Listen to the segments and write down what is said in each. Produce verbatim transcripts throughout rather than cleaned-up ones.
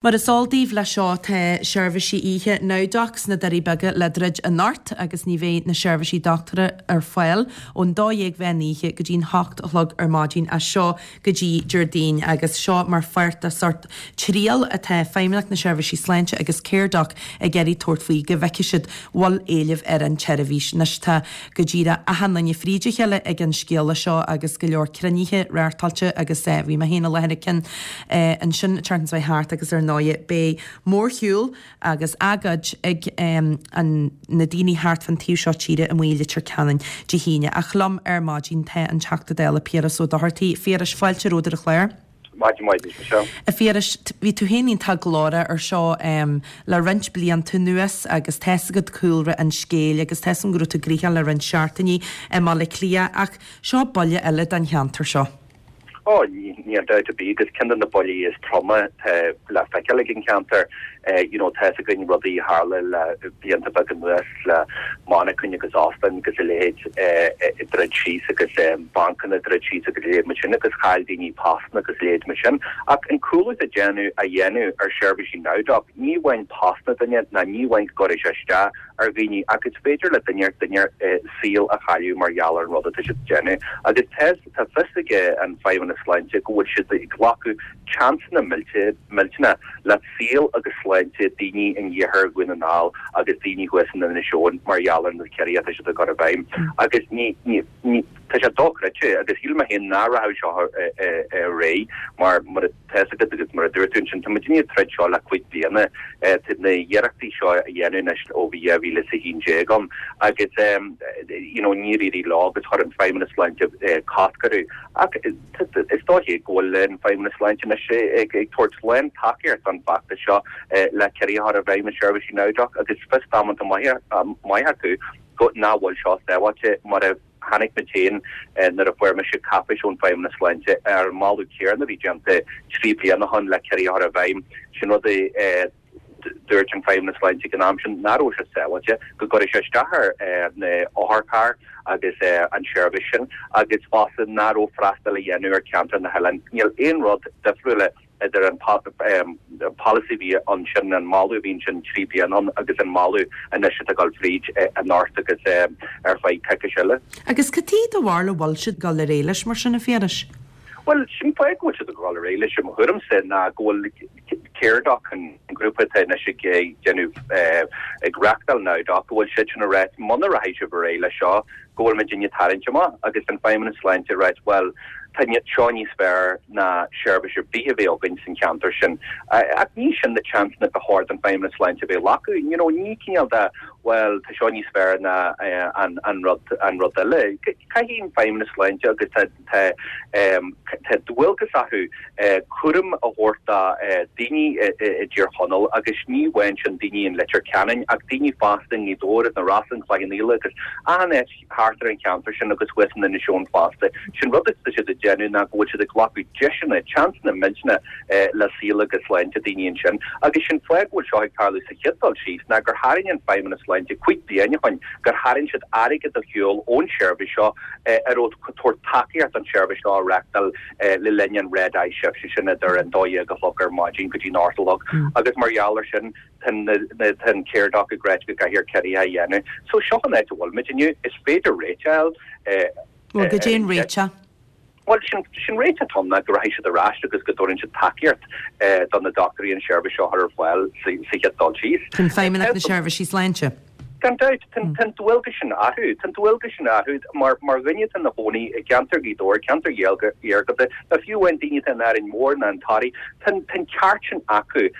Mar is eol daoibh leis seo tá seirbhísí oíche NowDoc sna Doirí Beaga le druid anocht agus ní bheidh na seirbhísí dochtúra ar fáil ón dó dhéag mheán oíche go dtí'n hocht a chlog ar maidin as seo go dtí Déardaoin agus seo mar pháirt de sort triail atá Feidhmeannacht na Seirbhísí Sláinte agus Caredoc ag iarraidh tabhairt faoi go bhfeicfidh siad bhfuil éileamh ar an tseirbhís. Anois tá go díreach achan duine fríd a chéile ag an scéala seo agus go leor cruinnithe reáchtáilte agus eh, bhí mé féin i láthair ag ceann eh, ansin an tseachtain thart agus ar ndóigh beidh mórshiúl agus agóid ag um, an, na daoine thart fan taobh seo tíre amuigh i Leitir Ceanainn Dé hAoine. Ach liom ar maidin tá an Teachta Dála Piaras Ó Dochartaigh Phiarais fáilte romhat ar an chlár. Maidin mhaith seo. A Phiarais bhí tú féin iontach glórach ar seo um, le roinnt blianta anuas agus tá a fhios agat cúlra an scéil agus tá a fhios agam go raibh tú gnoitheach le roinnt seachtainí i mBaile Átha Cliath ach seo buille eile don cheantar seo. Ó níl dabht ar bith agus ceann de na buillí is troime le feiceáil ag an cheantar you know tá a fhios againn rudaí a tharla le blianta beaga anuas le monarchain agus óstáin agus a leithéid ag druid síos agus bancanna druid síos agus a leithéid mar sin agus chaill daoine postanna agus a leithéid mar sin. Ach an cúlú a déanamh a dhéanamh ar seirbhísí NowDoc ní amháin postanna duine ná ní amháin go gcuirfidh sé isteach ar dhaoine ach is féidir le duine duine saol a chailleadh mar gheall ar an rud atá siad déanamh agus tá fios ag an Feidhmeannas Sláinte go bhfuil siad ag glacadh seansanna millteanna le saol agus sláinte daoine in iarthar Dhún na nGall agus daoine thuas in Inis Eoghain mar gheall ar na ciorruithe atá siad ag cur i bhfeidhm agus ní ní ní tá sé dochreidte agus shíl mé féin nach rachadh seo ar aghaidh mar mar tá a fhios agat agus mar a dúirt tú ansin tá muid ag troid seo le cúig bliana tá na hiarrachtaí seo a dhéanamh anois ó bhí dhá mhíle is a haon déag ann agus you know níor éirigh leo agus chuir an Feidhmeannas Sláinte cosc orthu ach is dóiche go bhfuil an Feidhmeannas Sláinte anois ag ag tabhairt lán tacaíocht don fheachtas seo le ciorruithe a chur i bhfeidhm i seirbhísí NowDoc agus fios damanta maith acu go nach bhfuil seo sábháilte mar a chonaic mé féin nuair a fuair mise cáipéis ón Feidhmeannas Sláinte ar an moladh céanna a bhí déanta trí bliana ó shin le ciorruithe a chur i bhfeidhm sin rud é dúirt an Feidhmeannas Sláinte ag an am sin nach raibh sé sábháilte go gcuirfidh sé isteach ar na otharchairr agus an seirbhís sin agus fosta nach raibh freastal a dhéanamh ar cheantar na hoileáin. Níl aon rud difriúil idir an policy bhí ansin an moladh bhí ansin trí bliana agus an moladh anois atá ag dul fríd anocht agus ar feadh coicís eile. Agus cad é do bharúil a bhfuil siad ag dul ar aghaidh leis mar sin a Phiarais? Well sin fáth go bhfuil siad ag dul ar aghaidh leis i mo thuairimse ná go bhfuil Caredoc an grúpa atá anois ag déanamh ag reáchtáil NowDoc go bhfuil siad sin ag rá muna rachaidh sibh ar aghaidh leis seo go bhfuil muid ag tarraingt amach agus an Feidhmeannas Sláinte ag rá well tá seo níos fearr ná seirbhís ar bith a bheith againn san cheantar sin. Ach ní sin na seansanna ba chóir don Feidhmeannas Sláinte bheith ag glacadh, you know, ní cineál de well tá seo níos fearr ná an an rud an rud eile. Caithfidh an Feidhmeannas Sláinte agus tá tá tá dualgas acu cúram a thabhairt do daoine i dTír Chonaill agus ní amháin sin daoine in Leitir Ceanainn ach daoine fosta i nGaoth Dobhair na Rosa an Chloich Cheann Fhaola agus achan áit thart ar an cheantar sin agus thuas in Inis Eoghain fosta. Sin rud atá siad ag déanamh ná go bhfuil siad ag glacadh deiseanna, seansanna millteanna le saol agus sláinte daoine ansin. Agus sin fáth go bhfuil seo ag tarlú sa chéad dul síos ná gur tharraing an Feidhmeannas Sláinte cúig bliana ó shin gur tharraing siad airgead ar shiúl ón seirbhís seo ar raibh tabhairt tacaíocht don seirbhís seo a reáchtáil le linn an red eye shift sin idir an dó dhéag a chlog ar maidin go dtí an ocht a chlog. Agus mar gheall ar sin tá an Caredoc ag rá go gcaithfear ciorruithe a dhéanamh. So seo an áit a bhfuil muid inniu is féidir réiteach Well cad é an réiteach. Well sin sin réiteach ann ná go rachaidh siad ar ais agus go dtabharfaidh siad tacaíocht do na dochtúirí an seirbhís seo ar fáil sa chéad dul síos. Chun Feidhmeannacht na Seirbhísí Sláinte. Gan dabht tá an dualgas sin orthu, tá an dualgas sin orthu mar mar dhuine atá ina chónaí i gceantar Ghaoth Dobhair, ceantar iargúlta, nó fiú amháin daoine atá in Árainn Mhór nó an Toraigh, tá an ceart sin acu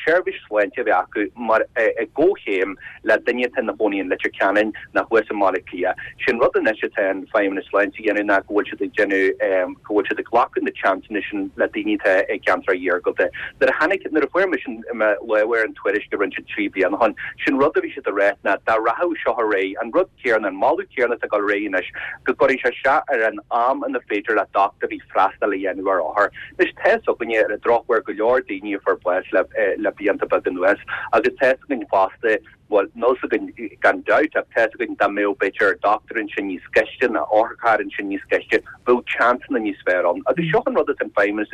seirbhís sláinte a bheith acu mar i gcomhchéim le duine atá ina chónaí in Leitir Ceanainn nó thuas i mBaile Átha Cliath. Sin rud anois atá an Feidhmeannas Sláinte a dhéanamh ná go bhfuil siad ag déanamh go bhfuil siad ag glacadh na seansanna sin le daoine atá i gceantar iargúlta. Nuair a tháinig nuair a fuair mise lámh ar an tuairisc a rinne siad trí bliana ó shin, sin rud rud a bhí siad a rá ná dá rachadh seo ar aghaidh, an rud céanna, an moladh céanna atá ag dul ar aghaidh anois, go gcuirfidh sé isteach ar an am ina féidir le dochtúirí freastal a dhéanamh ar othair. Anois tá fhios againne ar an drochuair go leor daoine a fuair bás le le blianta beaga anuas agus tá fhios againn fosta, bhuel níl fhios againn gan dabht ach tá fhios againn dá mbeadh b'fhéidir dochtúir ansin níos gaiste nó otharcharr ansin níos gaiste, bheadh seansanna níos fearr ann. Agus seo an rud atá an Feidhmeannas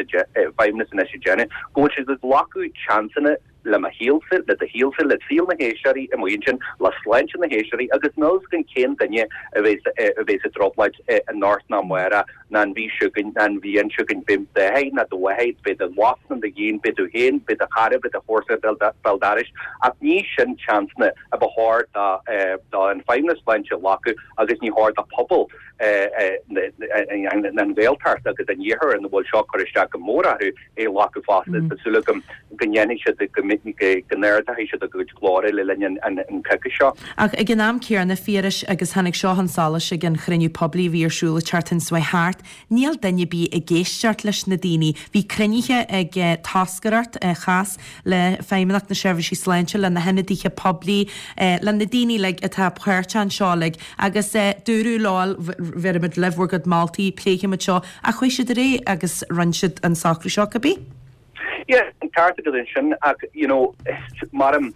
Feidhmeannas anois ag déanamh, go bhfuil siad ag glacadh seansanna le mo shaolsa, le do shaolsa, le saol na héisteoirí amuigh ansin, le sláinte na héisteoirí agus níl fhios againn cén duine a bheas a bheas i dtrioblóid anocht ná amárach ná an mhí seo chugainn ná an bhliain seo chugainn, beidh d'athair ná do mháthair, beidh do mhac ná do iníon, beidh tú féin, beidh do chara, beidh do chomharsa béal dorais ach ní sin seansanna a ba chóir do do an Feidhmeannas Sláinte a ghlacadh agus ní chóir do phobal an Ghaeltacht agus an Iarthair ina bhfuil seo ag cur isteach go mór orthu é a ghlacadh fosta. Tá súil agam go ndéanfaidh siad go go n-ardóidh siad a gcuid glóire le linn an coicís seo. Ach ag an am céanna, Phiarais, agus tháinig seo chun solais ag an chruinniú poiblí a bhí ar siúl an tseachtain seo thart, níl duine ar bith ag éisteacht leis na daoine. Bhí cruinnithe ag toscaireacht a chas le Feidhmeannacht na Seirbhísí Sláinte, le na hionadaithe poiblí, le na daoine uilig atá páirteach anseo uilig agus dúradh leo, bhéarfaimid libh bhur gcuid moltaí, pléifimid seo, ach chuaigh siad ar aghaidh agus rinne siad an socrú seo cibé. Yeah, an ceart agat ansin ach you know, maram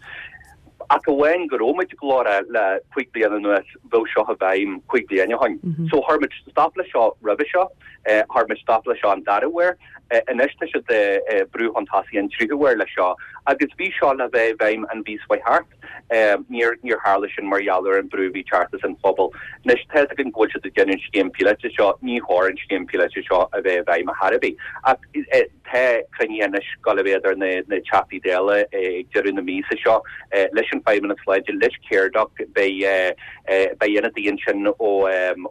ach amháin go raibh muid glórach le cúig bliana anuas bheadh seo i bhfeidhm cúig bliana ó shin. So chuir muid stop le seo roimhe seo, chuir muid stop le seo an dara huair, anois tá siad ag brú chun tosaigh an tríú huair le seo agus bhí seo le bheith i bhfeidhm an mhí seo thart. Níor níor tharla sin mar gheall ar an brú a bhí teacht as an phobal. Anois tá fhios againn go bhfuil siad ag déanamh an scéim píolóta seo, ní chóir an scéim píolóta seo a bheith i bhfeidhm ar chor ar bith. Ach tá cruinnithe anois ag dul a bheith idir na na Teachtaí Dála ag deireadh na míosa seo leis an Feidhmeannas Sláinte, leis Caredoc, beidh beidh ionadaí ansin ó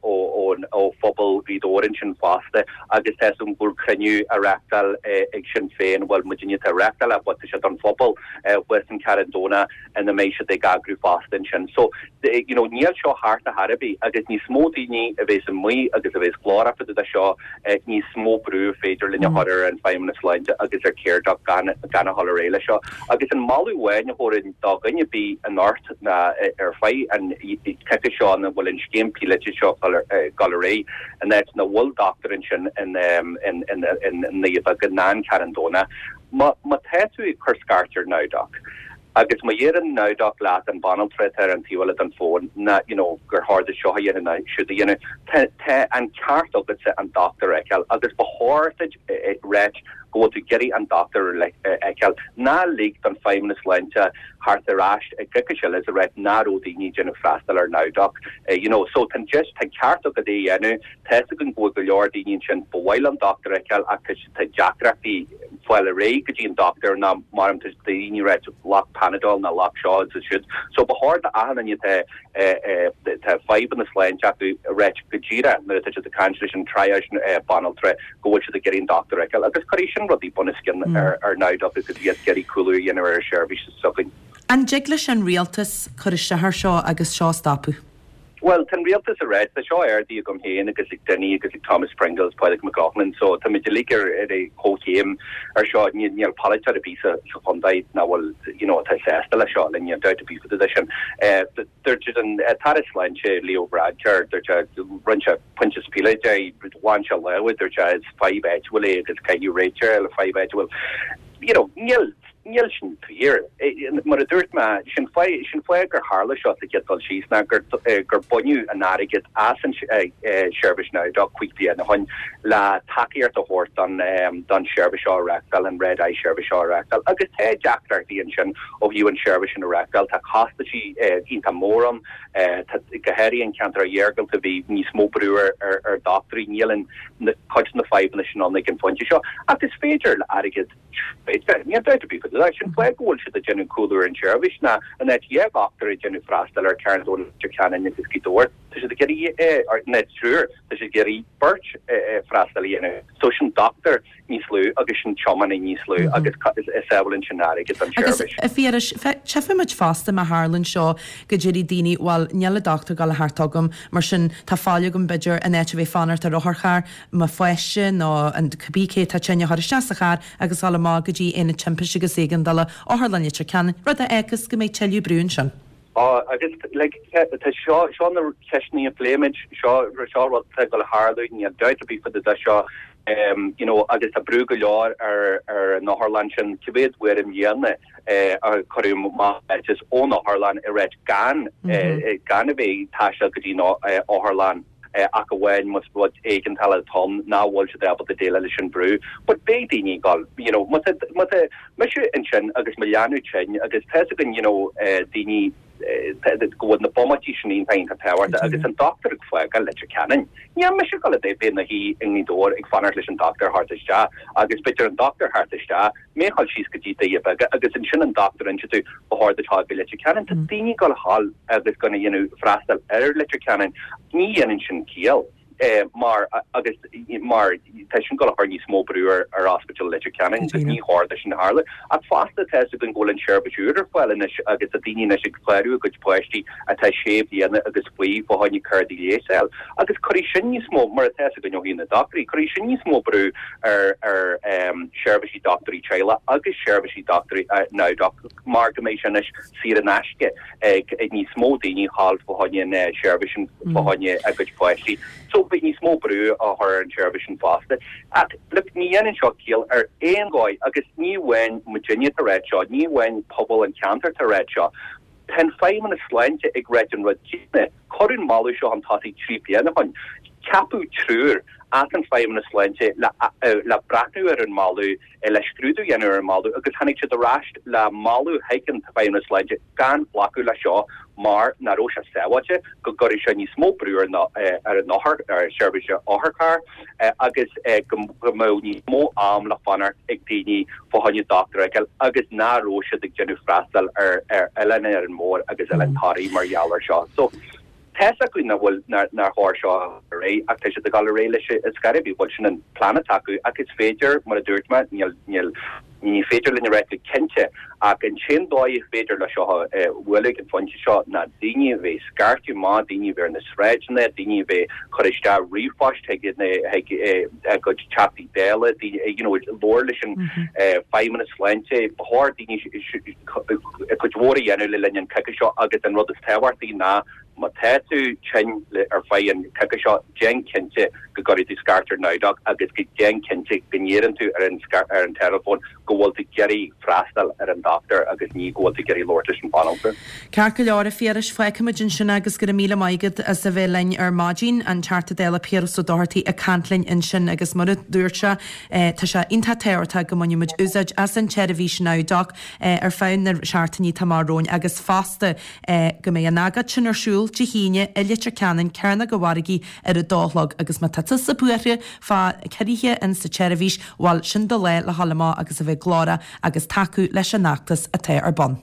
ó ó phobal Ghaoth Dobhair ansin fosta agus tá fhios agam go bhfuil cruinniú á reáchtáil ag Sinn Féin, bhuel muidinne atá ag reáchtáil é but tá sé don phobal thuas in Carraig Domhnach ina mbeidh siad ag eagrú fosta ansin. So you know níl seo thart ar chor ar bith agus níos mó daoine a bheas amuigh agus a bheas glórach fá dtaobh de seo níos mó brú féidir linn a chur ar an Feidhmeannas Sláinte agus ar Caredoc gan gan a dhul ar aghaidh leis seo. Agus an moladh amháin a thabharfainn do dhuine ar bith anocht ná ar feadh an coicís seo ina bhfuil an scéim píolóta seo ag dul ar aghaidh in áit nach bhfuil dochtúir ansin in in in in nDoire Beaga ná an Carn Domhnach. Má má tá tú ag cur scairt ar NowDoc agus má dheireann NowDoc leat an banaltra atá ar an taobh eile den fón ná you know gur chóir duit seo a dhéanamh ná siúd a dhéanamh, tá tá an ceart agatsa an dochtúir a fheiceáil agus ba chóir duit ráit go bhfuil tú ag iarraidh an dochtúir a fheiceáil. Ná lig don Feidhmeannas Sláinte theacht ar ais i gcoicís eile is a ráit nach raibh daoine ag déanamh freastal ar NowDoc. You know, so tá an deis, tá an ceart agat é a dhéanamh, tá fhios againn go bhfuil go leor daoine ansin ba mhaith leo an dochtúir a fheiceáil ach tá tá deacrachtaí fáil ar aghaidh go dtí an dochtúir ná mar tá daoine ag ráit glac Panadol ná glac seo agus siúd. So ba chóir do achan duine atá tá fadhbanna sláinte acu a ráit go díreach nuair atá siad ag caint leis an triage banaltra go bhfuil siad ag iarraidh an dochtúir a fheiceáil agus cuirfidh sin rudaí bunoscionn ar ar NowDoc agus iad ag iarraidh cúlú a dhéanamh ar an seirbhís s'againn. An dtig leis an rialtas cur isteach ar seo agus seo a stopadh? Bhuel, tá an rialtas ag ráit, tá seo ardaithe agam féin agus ag Dinny agus ag Thomas Pringle agus Pádraig Mac Lochlainn, so tá muid uilig ar ar comhchéim ar seo, níl níl polaiteoir ar bith sa sa chontae nach bhfuil you know atá sásta leis seo, le níl dabht ar bith fá dtaobh de sin. Dúirt an tAire Sláinte Leo Varadkar, dúirt sé, rinne sé pointe is fiche de, bhain sé lámha, dúirt sé is fadhb áitiúil é agus caithfidh réiteach le fadhb áitiúil. You know, níl Níl sin fíor. Mar a dúirt mé, sin sin fáth gur tharla seo sa chéad dul síos ná gur gur baineadh an airgead as an seirbhís NowDoc cúig bliana ó shin le tacaíocht a thabhairt don don seirbhís seo a reáchtáil, an Red Eye seirbhís seo a reáchtáil. Agus tá deacrachtaí ansin ó thaobh an seirbhís sin a reáchtáil. Tá costaisí iontach mór ann, tá go háirithe an ceantar iargúlta bhí níos mó brú ar ar dochtúirí. Níl an cuid de na fadhbanna sin ann ag an phointe seo. Ach is féidir le airgead Níl dabht ar bith faoi sin. Sin fáth go bhfuil siad ag déanamh cúlú ar an tseirbhís ná in áit dhá dhochtúir ag déanamh freastal ar Carn Domhnach, Leitir Ceanainn agus Gaoth Dobhair, tá siad ag iarraidh, nó triúr, tá siad ag iarraidh beirt freastal a dhéanamh. So sin dochtúir níos lú agus sin tiománaí níos lú agus sábhálann sin airgead don Agus tseirbhís. a Phiarais, tchífidh muid fosta má tharlann seo go déarfaidh daoine bhuel níl an dochtúir ag dul a theacht chugam mar sin tá faill agam b'fhéidir in áit a bheith fanacht ar otharcharr mo pháiste nó an cibé cé atá tinn a chur isteach sa charr agus dul amach go dtí Aonad Timpiste agus Éigeandála Otharlann Leitir Ceanainn, rud a fhágfas go mbeidh tuilleadh brú ansin. Á, agus like, tá seo seo na ceisteanna a phléimid seo seo rud atá ag dul a tharlú níl dabht ar bith fá dtaobh de seo um, you know, agus tá brú go leor ar ar an otharlann sin cé mhéad uair i mbliana eh, a cuireadh maith ón otharlann i reit gan mm -hmm. eh, gan a bheith ag taisteal go dtí an eh, otharlann eh, ach amháin más rud éigeandála atá ann nach bhfuil siad ábalta déileáil leis an brú, but beidh daoine ag dul you know, má tá mise ansin agus mo leanbh tinn agus tá againn you know, eh, daoine go bhfuil na bomaití sin iontach tábhachtach agus an dochtúir ag fágáil Leitir Ceanainn. Níl mise ag dul a bheith i mo shuí i nGaoth Dobhair ag fanacht leis an dochtúir theacht isteach agus b'fhéidir an dochtúir theacht isteach, mé ag dul síos go dtí Doire Beaga agus ansin an dochtúir inse tú ba chóir duit dul go Leitir Ceanainn. Tá daoine ag dul a dhul agus gan a dhéanamh freastal ar Leitir Ceanainn. Ní dhéanann sin ciall. Eh, mar agus mar tá sin ag dul a chur níos mó brú ar ar Ospidéal Leitir Ceanainn agus ní chóir dó sin a tharlú ach fosta tá go bhfuil an seirbhís úr ar fáil anois agus tá daoine anois ag clárú a gcuid páistí atá sé bliana agus faoi fá choinne cártaí leighis agus cuirfidh sin níos mó mar atá go ó na dochtúirí cuirfidh sin níos mó brú ar ar um, seirbhísí dochtúirí teaghlaigh agus seirbhísí dochtúirí uh, NowDoc mar go mbeidh sin anois saor in aisce ag ag níos mó daoine dhul fá choinne seirbhís fá choinne a gcuid páistí. So beidh níos mó brú á chur ar an seirbhís sin fosta. Ach look, ní dhéanann seo ciall ar aon dóigh agus ní amháin muidinne atá ag ráit seo, ní amháin pobal an cheantair atá ag ráit seo. Tá an Feidhmeannas Sláinte ag ráit an rud céanna cuireadh an moladh seo chun tosaigh trí bliana ó shin. Ceapadh triúr as an Feidhmeannas Sláinte le, le breathnú ar an moladh le scrúdú a dhéanamh ar an moladh agus tháinig siad ar ais le moladh chuig an Feidhmeannas Sláinte gan glacadh le seo mar nach raibh sé sábháilte go gcuirfeadh sé níos mó brú ar ar an othar ar seirbhís otharcharr agus go mbeadh níos mó am le fanacht ag daoine fá choinne dochtúir a fheiceáil agus nach raibh siad ag déanamh freastal ar ar Oileán Árainn Mhór agus Oileán Thoraí mar gheall ar seo. So tá a fhios acu nach bhfuil nár chóir seo ar aghaidh ach tá siad ag dul ar aghaidh leis is gar bhí bhfuil sin an plean atá acu ach is féidir mar a dúirt mé níl níl ní féidir linn a rá go cinnte ach an t-aon dóigh is féidir le seo bhualadh an phointe seo ná daoine a bheith scairteadh amach daoine a bheith ar na sráideanna daoine a bheith cur isteach ríomhphoist chuig chuig a gcuid Teachtaí Dála you know labhairt leis an Feidhmeannas Sláinte ba chóir daoine cuid mhór a dhéanamh le linn an coicís seo agus an rud is tábhachtaí ná má tá tú tinn ar feadh an coicís seo déan cinnte go gcuirfidh tú scairt ar NowDoc agus go déan cinnte go ndeireann tú ar an ar an teileafón go bhfuil tú ag iarraidh freastal ar an dochtúir agus ní go bhfuil tú ag iarraidh labhairt leis an bhanaltra. Ceart go leor a Phiarais fágfaimid ansin agus go raibh míle maith agat as a bheith linn ar maidin an Teachta Dála Piaras Ó Dochartaigh ag caint linn ansin agus mar a dúirt sé tá sé iontach tábhachtach go mbainfidh muid úsáid as an tseirbhís NowDoc ar feadh na seachtainí atá amach romhainn agus fosta go mbeidh an agóid sin ar siúl Dé hAoine i Leitir Ceanainn Cearnóg an Mhargaidh ar a dó a chlog agus má tá tusa buartha fá ciorruithe in sa tseirbhís bhuel sin do lá le dhul amach agus a bheith glórach agus tacú leis an fheachtas atá ar bun.